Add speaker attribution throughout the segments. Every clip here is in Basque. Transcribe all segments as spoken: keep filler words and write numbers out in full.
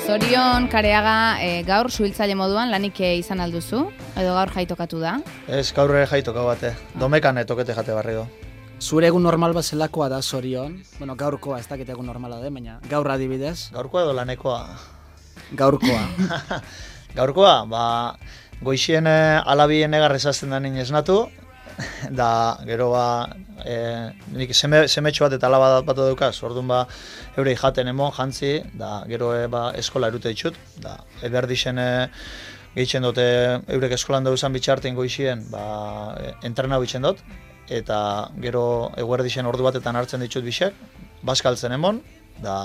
Speaker 1: Zorion Kareaga, e, gaur suhiltzaile moduan lanik izan alduzu, edo gaur jaitokatu da?
Speaker 2: Ez, gaur jaitoka bate, domekan tokete jate barrio.
Speaker 3: Zure egun normal bat zelakoa da Zorion? Bueno, gaurkoa, ez dakit egun normala da, baina gaur adibidez?
Speaker 2: Gaurkoa edo lanekoa?
Speaker 3: Gaurkoa.
Speaker 2: Gaurkoa, ba, goixien alabien egarrezazten da nien esnatu, da, gero ba, e, nik seme, semetxo bat eta alaba bat daukaz, orduan ba, eurei jaten emon, jantzi, da, gero e, ba, eskola erute ditut, da, eberdixen e, gehitzen dute, eurek eskolan dauzan bitxarten goixien, ba, e, entrenau bitzen dut, eta gero eguerdixen ordu batetan hartzen ditut bisek, baskaltzen emon, da,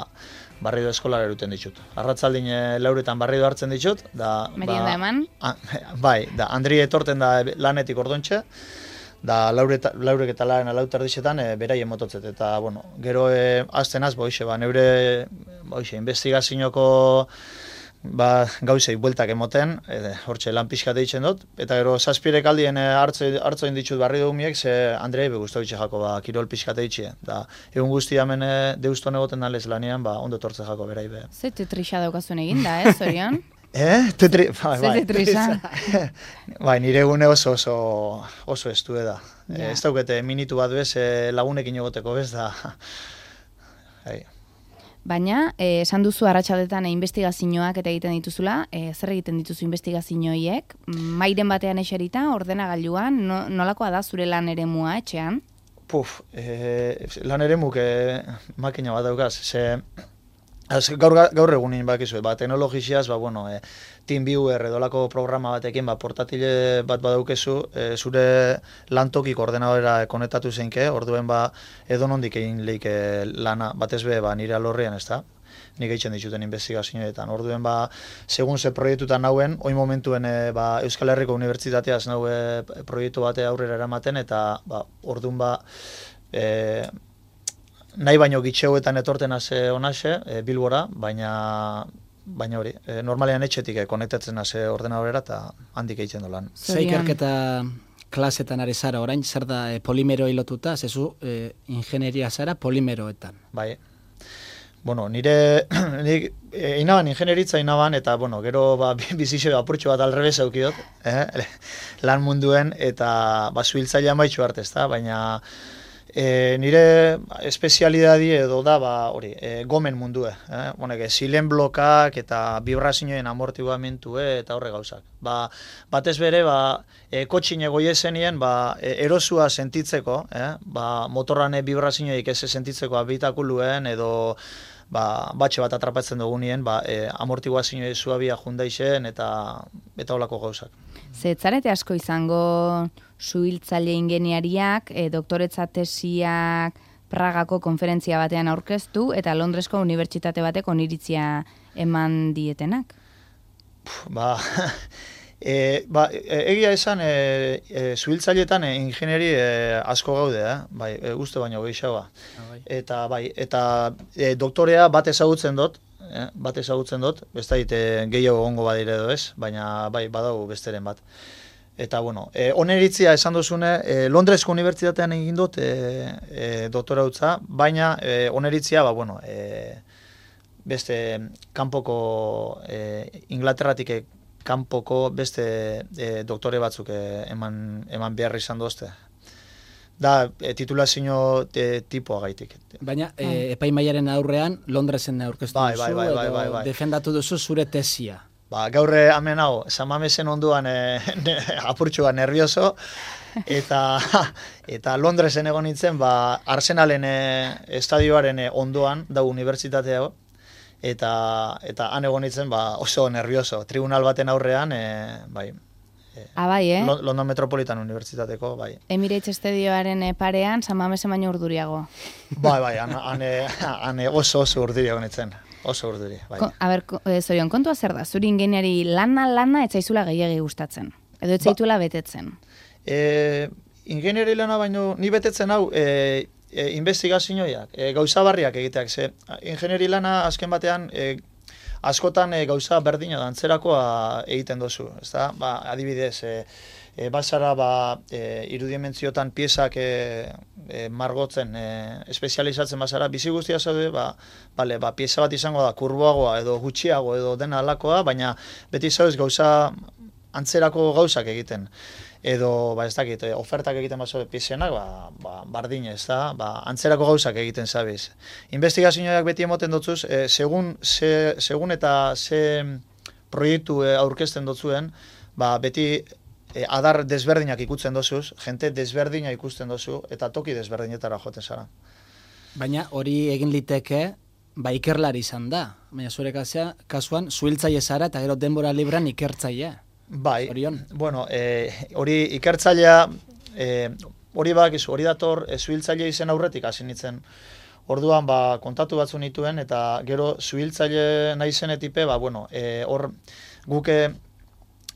Speaker 2: barrido eskola eruten ditut. Arratzaldin e, lauretan barrido hartzen ditut, da...
Speaker 1: Merienda
Speaker 2: ba,
Speaker 1: eman?
Speaker 2: A, bai, da, Andri etorten da lanetik ordontxe, da laurek laurek eta laren alautar dixetan e, beraien mototzet, eta, bueno, gero e, azten az, boixe, ba, neure, boixe, investigazioko ba, gauzei bueltak emoten, e, hortxe lan pixkat eitzen dut, eta gero zazpirek aldien e, hartzoin ditut barri dugumiek, ze Andrei be guztautxe jako, ba, kirol pixkat eitxe, da, egun guzti hemen e, deuston egoten dalez lanean, ba, ondo tortze jako berai be.
Speaker 1: Ze tetrixa daukazuen egin da, eh, Zorion?
Speaker 2: Eh? Tetri... Bai,
Speaker 1: Ze tetrixa?
Speaker 2: Bai, nire egune oso oso, oso estu da.
Speaker 1: Ja.
Speaker 2: Ez daukete minitu bat bez, e, lagunekin egoteko bez da. Hai.
Speaker 1: Baina, eh, esan duzu arratsaldetan e, investigazioak eta egiten dituzula, eh, zer egiten dituzu investigazioiek? Mairen batean eserita, ordenagailuan, no, nolakoa da zure lan eremua etxean?
Speaker 2: Puf, e, lan eremuk e, makina bat daukaz, ze... Az, gaur, gaur egunin bakizu, ba, teknologiziaz, ba, bueno, e, TeamViewer edolako programa batekin, ba, portatile bat badaukezu, e, zure lantokik ordenadora konektatu zeinke, orduen ba, edonondik egin leike lana, batez be, ba, nire alorrian, ez da? Nik egiten dituten investigazioetan. Orduen, ba, segun ze proiektutan nauen, oin momentuen e, ba, Euskal Herriko Unibertsitateaz naue proiektu bate aurrera eramaten, eta ba, orduen ba, e, nahi baino gitxeuetan etorten haze honaxe, e, Bilbora, baina baina hori, e, normalean etxetik e, konektatzen haze ordenadorera eta handik egiten dolan.
Speaker 3: Ze ikerketa klasetan ari zara, orain zer da e, polimeroi lotuta, zezu e, ingenieria zara polimeroetan.
Speaker 2: Bai. Bueno, nire, nik e, inaban ingenieritza inaban, eta bueno, gero ba, bizixo apurtxo bat alrebez eukidot, eh? lan munduen, eta ba, zuhiltzailea maitxu arte, ezta? Baina E, nire espezialidadi edo da, ba, hori, e, gomen mundue. Eh? Bonek, zilen blokak eta vibrazioen amortiguamentue eta horre gauzak. Ba, batez bere, ba, e, kotxin egoiezenien, ba, e, erosua sentitzeko, eh? ba, motorrane vibrazioik ez sentitzeko abitakuluen edo ba, batxe bat atrapatzen dugunien, ba, e, amortiguazioen zuabia jundaixen eta eta holako gauzak.
Speaker 1: Zetzarete asko izango suhiltzaile ingeniariak, e, doktoretza tesiak Pragako konferentzia batean aurkeztu eta Londresko unibertsitate batek oniritzia eman dietenak?
Speaker 2: Ba, e, ba e, egia esan, e, e, suhiltzaileetan e, ingenieri e, asko gaude, eh? bai, e, uste baino gehiagoa. Eta bai, eta e, doktorea bat ezagutzen dut, eh? bat ezagutzen dut, ez da ite gehiago gongo badire edo ez, baina bai, badago besteren bat. Eta, bueno, e, oneritzia esan duzune, e, Londresko unibertsitatean egin dut e, e, doktora utza, baina e, oneritzia, ba, bueno, e, beste kanpoko, e, Inglaterratik e, kanpoko beste e, doktore batzuk e, eman, eman behar izan dozte. Da, e, titulazio e, tipoa gaitik.
Speaker 3: Baina, e, epaimaiaren aurrean, Londresen aurkeztu
Speaker 2: bai,
Speaker 3: duzu,
Speaker 2: bai, bai, bai, bai, bai.
Speaker 3: edo defendatu duzu zure tesia.
Speaker 2: Ba, gaur hemen hau, Samamesen onduan e, ne, apurtxua nervioso, eta, eta Londresen egon nintzen, ba, Arsenalen e, estadioaren e, ondoan, da unibertsitatea, eta, eta han egon nintzen ba, oso nervioso. Tribunal baten aurrean, e, bai,
Speaker 1: Ah, bai, eh?
Speaker 2: London Metropolitan Unibertsitateko, bai.
Speaker 1: Emirates Estadioaren parean, San Mamesen baino urduriago.
Speaker 2: Bai, bai, han, han, han oso oso urduriago nintzen. Oso urduri, bai.
Speaker 1: Ko, a ber, e, Zorion, kontua zer da? Zuri ingeniari lana lana etzaizula gehiagi gustatzen. Edo etzaituela ba, betetzen.
Speaker 2: E, ingeniari lana baino ni betetzen hau e, e, investigazioak, e, gauza barriak egiteak. Ze, ingeniari lana azken batean e, askotan e, gauza berdina da, antzerakoa egiten dozu. Ezta? Ba, adibidez, e, e, basara ba, e, irudimentziotan piezak e, e, margotzen, e, espezializatzen basara, bizi guztia zaude, ba, bale, ba, pieza bat izango da, kurboagoa edo gutxiago edo dena alakoa, baina beti zaudez gauza antzerako gauzak egiten. Edo, ba, ez dakit, ofertak egiten bazo piezenak, ba, ba, bardin ez da, ba, antzerako gauzak egiten zabiz. Investigazioak beti emoten dotzuz, e, segun, se, segun eta ze proiektu e, aurkezten dotzuen, ba, beti e, adar desberdinak ikutzen dozuz, jente desberdina ikusten dozu, eta toki desberdinetara joten zara.
Speaker 3: Baina hori egin liteke, ba ikerlari izan da. Baina zure kasea, kasuan, zuhiltzaile zara eta gero denbora libran ikertzaile.
Speaker 2: Bai,
Speaker 3: Orion.
Speaker 2: bueno, e, hori ikertzailea, e, hori bakizu, hori dator, e, zuhiltzaile izen aurretik hasi nintzen. Orduan, ba, kontatu batzu nituen, eta gero zuhiltzaile nahi zenetipe, ba, bueno, e, hor guke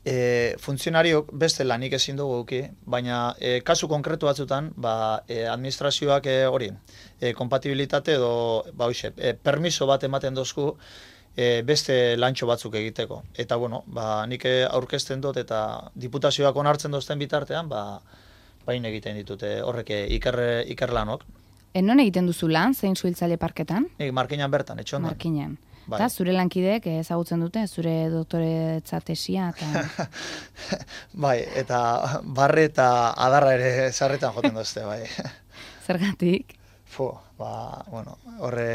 Speaker 2: e, funtzionariok beste lanik ezin dugu guki, baina e, kasu konkretu batzutan, ba, e, administrazioak e, hori, e, kompatibilitate edo, ba, hoxe, e, permiso bat ematen dozku, E, beste lantxo batzuk egiteko. Eta, bueno, ba, nik aurkezten dut eta diputazioak onartzen dozten bitartean, ba, bain egiten ditute horrek iker, ikerlanok.
Speaker 1: E, non egiten duzu lan, zein zuhiltzaile parketan?
Speaker 2: Nik Markinan bertan, etxondan.
Speaker 1: Markinan.
Speaker 2: Bai.
Speaker 1: Eta zure lankideek ezagutzen dute, zure doktoretza tesia eta...
Speaker 2: Bai, eta barre eta adarra ere sarretan joten dozte, bai.
Speaker 1: Zergatik?
Speaker 2: Fu, ba, bueno, horre...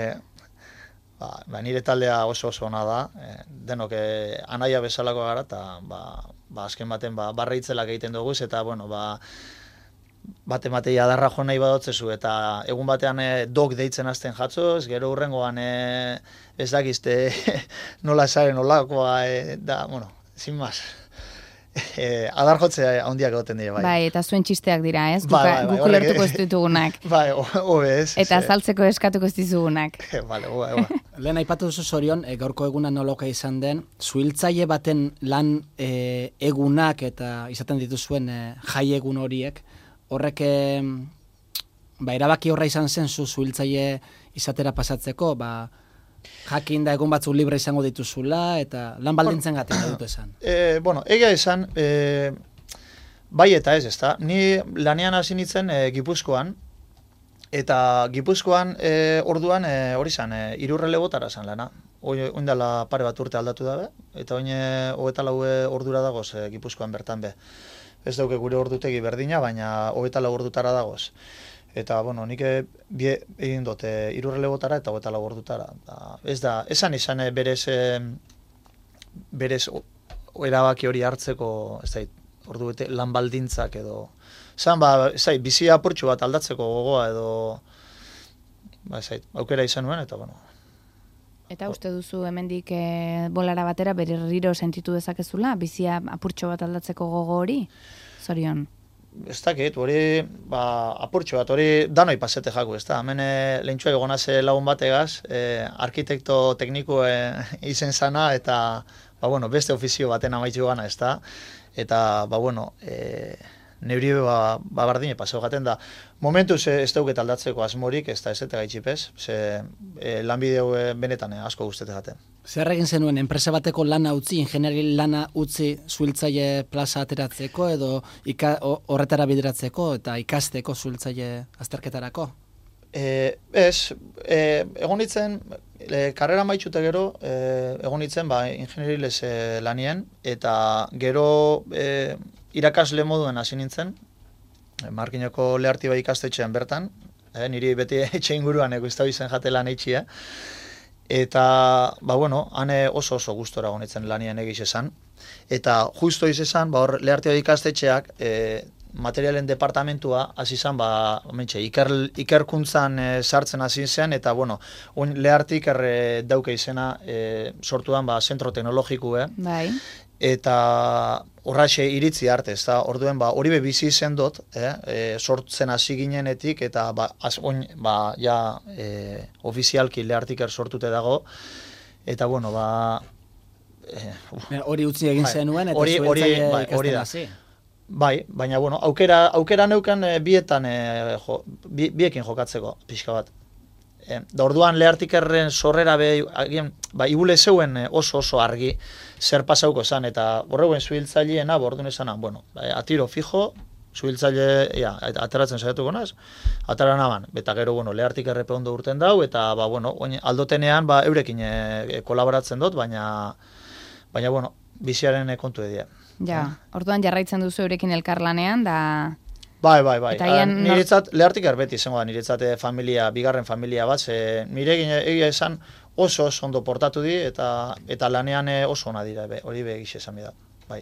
Speaker 2: Ba, ba, nire taldea oso oso ona da, e, denok e, anaia bezalako gara, eta ba, ba, azken baten ba, barra itzelak egiten dugu, eta bueno, ba, bate matei adarra jo nahi badotzezu, eta egun batean e, dok deitzen hasten jatzoz, gero hurrengoan e, ez dakizte nola esaren nolakoa, e, da, bueno, sin más. E, adar jotzea handiak egoten dira, bai.
Speaker 1: Bai, eta zuen txisteak dira, ez?
Speaker 2: Bai, bai, bai,
Speaker 1: Guk ulertuko ez ditugunak.
Speaker 2: Bai, hobe ez.
Speaker 1: Eta azaltzeko eskatuko ez dizugunak.
Speaker 2: Bale, bai, bai.
Speaker 3: Lehen aipatu duzu Zorion, e, gaurko eguna noloka izan den, zuhiltzaile baten lan e, egunak eta izaten dituzuen e, jai egun horiek, horrek e, ba, erabaki horra izan zen zu zuhiltzaile izatera pasatzeko, ba, jakin da egun batzuk libre izango dituzula, eta lan baldintzen gaten dut esan.
Speaker 2: E, bueno, egia esan, e, bai eta ez, ezta. Ni lanean hasi nintzen e, Gipuzkoan, eta Gipuzkoan e, orduan e, hori zan, e, irurrelebotara zan lana. Oindala pare bat urte aldatu dabe, eta oin hogeta lau ordura dagoz e, Gipuzkoan bertan be. Ez dauke gure ordutegi berdina, baina hogeta lau ordutara dagoz. Eta, bueno, nik bie, egin dute irurrelebotara eta hogeta lau ordutara. Da, ez da, esan izan berez, e, berez erabaki hori hartzeko, ez da, ordu bete lan baldintzak edo... Zan, ba, ez da, bizi apurtxu bat aldatzeko gogoa edo... Ba, ez da, aukera izan nuen, eta, bueno...
Speaker 1: Eta uste duzu hemendik e, bolara batera berriro sentitu dezakezula, bizia apurtxo bat aldatzeko gogo hori? Zorion.
Speaker 2: Ez dakit, hori, ba, apurtxo bat, hori danoi pasete jaku, ez da, hemen lehentxua egonaz lagun bategaz, e, arkitekto tekniko e, izen zana, eta, ba, bueno, beste ofizio baten amaitzu gana, ez da, eta, ba, bueno, e, neuri ba, ba bardine paseo gaten da. Momentuz ez dauket aldatzeko asmorik, ez da ez eta gaitxipez, ze e, lanbideo benetan e, asko guztete gaten.
Speaker 3: Zer egin zenuen, enpresa bateko lana utzi, ingeniari lana utzi zuhiltzaile plaza ateratzeko edo ika, horretara bideratzeko eta ikasteko zuhiltzaile azterketarako?
Speaker 2: E, ez, e, egon nintzen, e, karrera maitxute gero, e, egon nintzen ba, ingeniariles e, lanien, eta gero e, irakasle moduen hasi nintzen, e, Markinoko lehartiba ikastetxean bertan, e, niri beti etxe inguruan eguztau izen jate lan eitxia, eta, ba, bueno, hane oso oso gustora gonitzen lanien egiz esan. Eta justo izan, ba, hor lehartiba ikastetxeak, e, materialen departamentua hasi izan, ba, mentxe, iker, ikerkuntzan e, sartzen hasi zen, eta, bueno, un lehartik erre dauke izena e, sortudan, ba, zentro teknologikue.
Speaker 1: Bai.
Speaker 2: Eta horraxe iritzi arte, ez da, orduen, ba, hori be bizi izen dut, eh, e, sortzen hasi ginenetik, eta, ba, az, oin, ba, ja, e, ofizialki lehartiker sortute dago, eta, bueno, ba...
Speaker 3: E, hori utzi egin
Speaker 2: bai,
Speaker 3: zenuen, eta
Speaker 2: hori, hori, bai, hori da.
Speaker 3: Hasi.
Speaker 2: Bai, baina, bueno, aukera, aukera neukan e, bietan, e, jo, bi, biekin jokatzeko, pixka bat. E, da orduan Leartikerren sorrera be, agian, ba, ibule zeuen oso oso argi zer pasauko zan, eta horregoen zuhiltzaileena, bordun esana, bueno, atiro fijo, zuhiltzaile, ja, ateratzen saiatuko naz, atera naban, eta gero, bueno, Leartikerrepe ondo urten dau, eta, ba, bueno, oin, aldotenean, ba, eurekin e, kolaboratzen dut, baina, baina, bueno, biziaren kontu edia.
Speaker 1: Ja, orduan jarraitzen duzu eurekin elkarlanean, da...
Speaker 2: Bai, bai, bai.
Speaker 1: Ian,
Speaker 2: niretzat, Leartiker beti izango da, niretzat familia, bigarren familia bat, ze nire egia esan oso oso ondo portatu di, eta eta lanean oso ona dira, be, hori be egixe esan da, bai.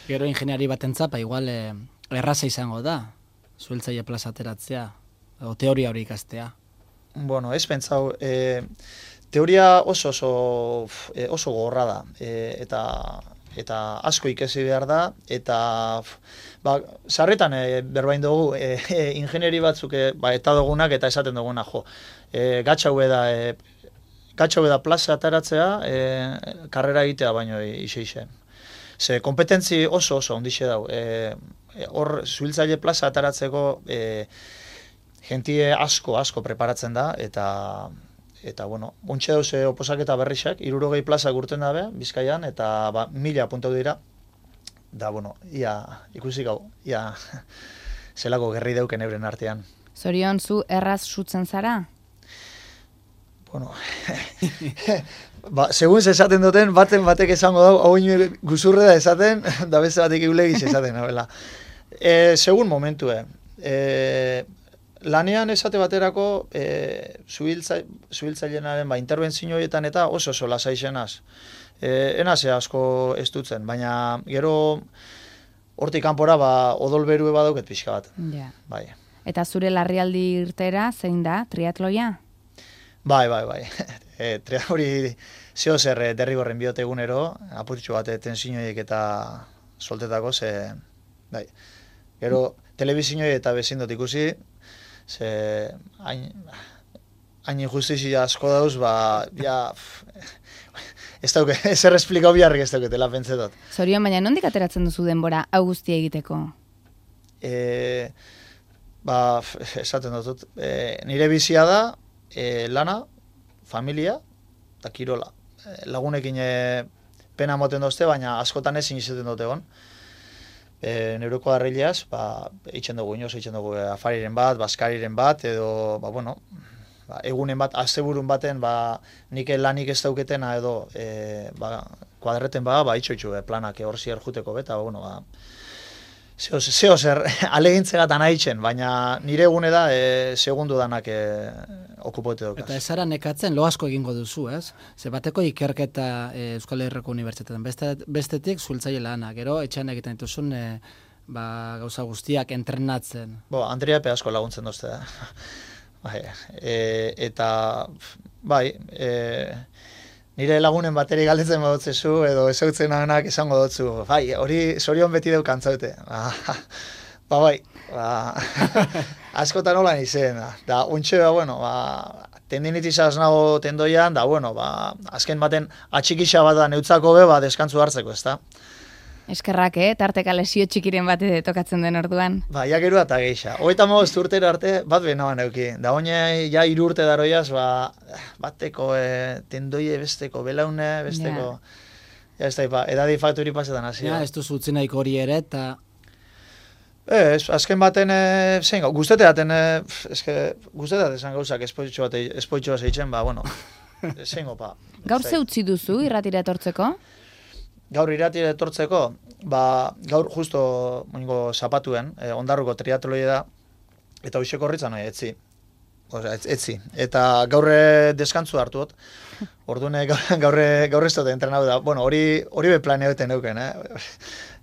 Speaker 3: Gero ingeniari batentzat, ba, igual eh, erraza izango da, zuhiltzaile plaza ateratzea, o teoria hori ikastea.
Speaker 2: Bueno, ez pentsau, e, teoria oso oso, oso gogorra da, e, eta eta asko ikasi behar da, eta ba, sarretan e, berbain dugu e, e, ingenieri batzuk e, ba, eta dugunak eta esaten duguna, jo, e, gatxau da, e, gatxau da plaza ataratzea, e, karrera egitea baino ixe-ixe. Ze kompetentzi oso oso ondixe dau, e, hor zuhiltzaile plaza ataratzeko e, jentie asko asko preparatzen da, eta eta bueno, ontxe dauz oposaketa berrixak, hirurogei plaza gurten dabe, Bizkaian, eta ba, mila apuntau dira, da, bueno, ia, ikusi gau, ia, zelako gerri dauken euren artean.
Speaker 1: Zorion, zu erraz sutzen zara?
Speaker 2: Bueno, ba, segun esaten duten, baten batek esango dau, hau ino guzurre da esaten, da beste batek eulegiz esaten, nabela. E, segun momentue, e, lanean esate baterako e, zuhiltzailearen ba, interbentzioetan eta oso oso lasaizenaz. E, enazea asko ez dutzen, baina gero hortik kanpora ba, odolberue badauket pixka bat.
Speaker 1: Ja.
Speaker 2: Bai.
Speaker 1: Eta zure larrialdi irtera zein da, triatloia?
Speaker 2: Bai, bai, bai. E, tria hori zeo zer derrigorren biote egunero, apurtxo bat tensioiek eta soltetako, ze, bai. Gero, telebizinioi eta bezindot ikusi, ze hain, hain injustizia asko dauz, ba, ja, ez dauke, ezer esplikau biharrik ez dauketela pentsetot.
Speaker 1: Zorion, baina nondik ateratzen duzu denbora hau guztia egiteko?
Speaker 2: E, ba, esaten dut, e, nire bizia da, e, lana, familia, eta kirola. E, lagunekin e, pena moten dozte, baina askotan ezin izaten dute egon. E, neuroko harrileaz, ba, eitzen dugu inoz, eitzen dugu afariren bat, baskariren bat, edo, ba, bueno, ba, egunen bat, asteburun baten, ba, nik lanik ez dauketena, edo, e, ba, kuadreten ba, ba, itxo-itxo, e, planak hor zier juteko beta, ba, bueno, ba, zeo, zeo zer, alegintzegat anaitzen, baina nire egune da, e, segundu danak e, okupote daukaz.
Speaker 3: Eta ezara nekatzen, lo asko egingo duzu, ez? Ze bateko ikerketa e, Euskal Herriko Unibertsitatean, Beste, bestetik zuhiltzaile lana, gero etxean egiten dituzun e, ba, gauza guztiak entrenatzen.
Speaker 2: Bo, Andrea pe asko laguntzen dozte da. Bai, e, eta, bai, e, nire lagunen bateri galdetzen badotzezu, edo ezautzen anak esango dotzu, bai, hori zorion beti deu kantzaute. Ba, ba, bai, ba, askotan holan izen, da, da ontxe, ba, bueno, ba, tendinitizaz nago tendoian, da, bueno, ba, azken baten atxikisa bat da neutzako be, ba, deskantzu hartzeko, ez da?
Speaker 1: Eskerrak, eh? Tarteka lesio txikiren bate tokatzen den orduan.
Speaker 2: Ba, ja gero eta geixa. Hogeita mabost urtero arte, bat behin euki. Da hone, ja hiru urte daroiaz, ba, bateko e, tendoie besteko, belaune besteko. Ja, ja ez da, ba, edadi fakturi pasetan hasi.
Speaker 3: Ja, ez duzu utzi nahiko hori ere, eta...
Speaker 2: Ez, azken baten, e, zein gau, guzteteaten, e, eske, guzteteaten esan gauzak espoitxo bat, espoitxo bat zeitzen, ba, bueno, zein gopa.
Speaker 1: Gaur ze utzi duzu, irratira etortzeko?
Speaker 2: Gaur iratire etortzeko, ba, gaur justo moingo zapatuen, eh, ondarruko triatloia da, eta hoxeko horritzan nahi, etzi. Osea, etz, etzi. Eta gaurre deskantzu hartuot, orduan gaurre, gaurre ez dut entrenau da. Bueno, hori, hori be planeoten euken, eh?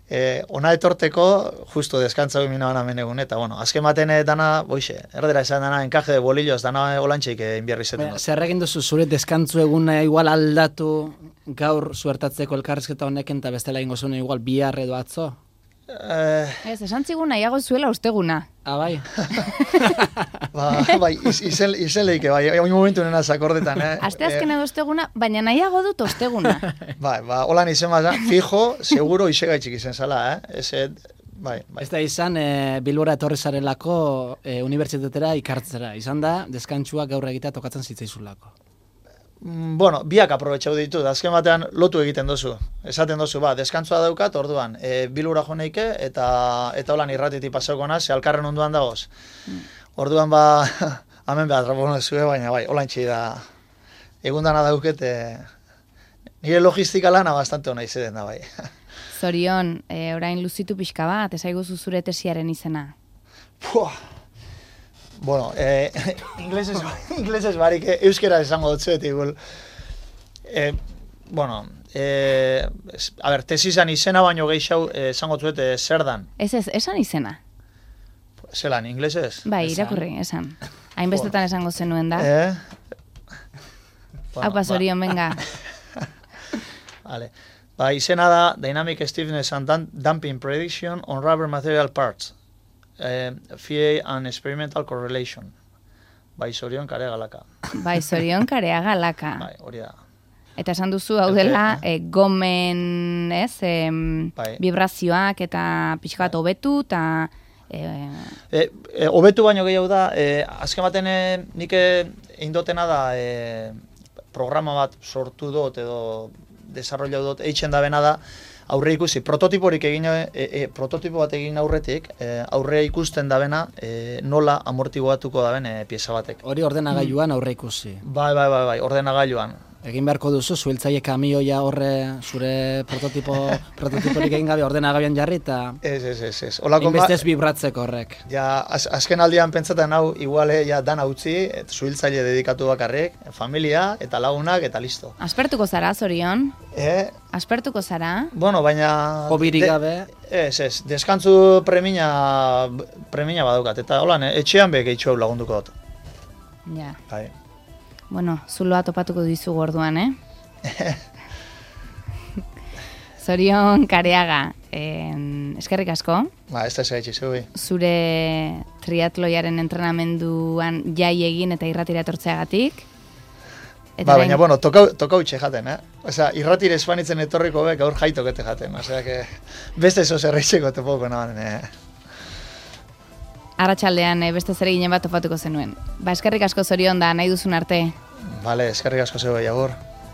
Speaker 2: E, ona etorteko, justo deskantzau mina bana menegun, eta bueno, azken baten dana, boixe, erdera esan dana, enkaje de bolillos, dana olantxeik inbierri zeten.
Speaker 3: Zer egin duzu zure deskantzu eguna igual aldatu gaur zuertatzeko elkarrizketa honekin, eta bestela egingo zuen igual bihar edo atzo?
Speaker 2: Eh...
Speaker 1: Ez, esan zigun nahiago zuela usteguna.
Speaker 3: Ah, bai.
Speaker 2: ba, bai, iz, izen, izen leike, bai, oin momentu nena zakordetan, eh?
Speaker 1: Aste azken edo osteguna, baina nahiago dut osteguna.
Speaker 2: Bai, ba, holan izen baza, fijo, seguro isegaitxik izen zala, eh? Ez, bai, bai.
Speaker 3: Ez da izan, e, Bilbora etorri zarelako e, unibertsitatera ikartzera. Izan da, deskantzua gaur egitea tokatzen zitzaizulako.
Speaker 2: Mm, Bueno, biak aprobetxau ditut, azken batean lotu egiten dozu. Esaten dozu, ba, deskantzua daukat, orduan, e, Bilbora jo neike, eta eta holan irratitik pasauko naz, elkarren onduan dagoz. Orduan, ba, hemen behar trapono zue, baina bai, holan txei da, egundana dauket, e, nire logistika lana bastante hona izeden da, bai.
Speaker 1: Zorion, e, orain luzitu pixka bat, esaiguzu zure tesiaren izena.
Speaker 2: Puah. Bueno, eh, inglesez, inglesez barik, eh, euskera esango dut zuet, igual. Eh, bueno, eh, es, a ber, tesizan izena baino gehiago eh, esango zuet eh, zer dan.
Speaker 1: Ez ez, esan izena.
Speaker 2: Zelan, inglesez?
Speaker 1: Bai,
Speaker 3: Esan.
Speaker 1: irakurri, esan. Hainbestetan esango zenuen da.
Speaker 2: Eh?
Speaker 1: Hau pa, Zorion, venga.
Speaker 2: Vale. Ba, izena da Dynamic Stiffness and Dam- Damping Prediction on Rubber Material Parts. Eh, F I A and Experimental Correlation. Bai, Zorion kare galaka.
Speaker 1: Bai, Zorion karea galaka.
Speaker 2: Bai, hori da.
Speaker 1: Eta esan duzu hau dela, e, gomen, ez, em,
Speaker 2: Bai.
Speaker 1: vibrazioak eta pixka bat hobetu, eta... E,
Speaker 2: E, e, hobetu baino gehiago da, e, azken baten e, nik egin dotena da e, programa bat sortu dut edo desarrollau dut eitzen da bena da aurre ikusi, prototiporik egin, e, e, prototipo bat egin aurretik, e, aurre ikusten da bena e, nola amortiguatuko da ben e, pieza batek.
Speaker 3: Hori ordenagailuan aurre ikusi.
Speaker 2: Bai, bai, bai, bai, ordenagailuan.
Speaker 3: Egin beharko duzu, zuhiltzaile kamioia horre zure prototipo, prototiporik egin gabe ordenagailuan jarri eta
Speaker 2: Ez, ez, ez, ez. Olako ma-
Speaker 3: inbestez vibratzeko horrek.
Speaker 2: Ja, az, azken aldian pentsatzen hau, iguale, ja, dan utzi, et, zuhiltzaile dedikatu bakarrik, familia, eta lagunak, eta listo.
Speaker 1: aspertuko zara, Zorion?
Speaker 2: Eh,
Speaker 1: Aspertuko zara?
Speaker 2: bueno, baina...
Speaker 3: Hobirik
Speaker 2: de-
Speaker 3: gabe,
Speaker 2: Ez, ez, deskantzu premina, premina badaukat, eta holan, eh, etxean be gehitxo hau lagunduko dut.
Speaker 1: Ja.
Speaker 2: Bai.
Speaker 1: Bueno, zuloa topatuko dizugu orduan, eh? Zorion Kareaga, eh, eskerrik asko.
Speaker 2: Ba, ez da ez zubi.
Speaker 1: Zure triatloiaren entrenamenduan jai egin eta irratira etortzeagatik. Eta
Speaker 2: Ba,
Speaker 1: orain-
Speaker 2: baina, bueno, tokau, tokau txe jaten, eh? Osea, irratire espanitzen etorriko be, gaur jaitokete jaten. Osea, que beste eso zerreitzeko topoko nahan, eh?
Speaker 1: Arratsaldean eh, beste zer eginen bat topatuko zenuen. Ba, eskerrik asko Zorion da, nahi duzun arte.
Speaker 2: Vale, eskerrik asko zeu, agur.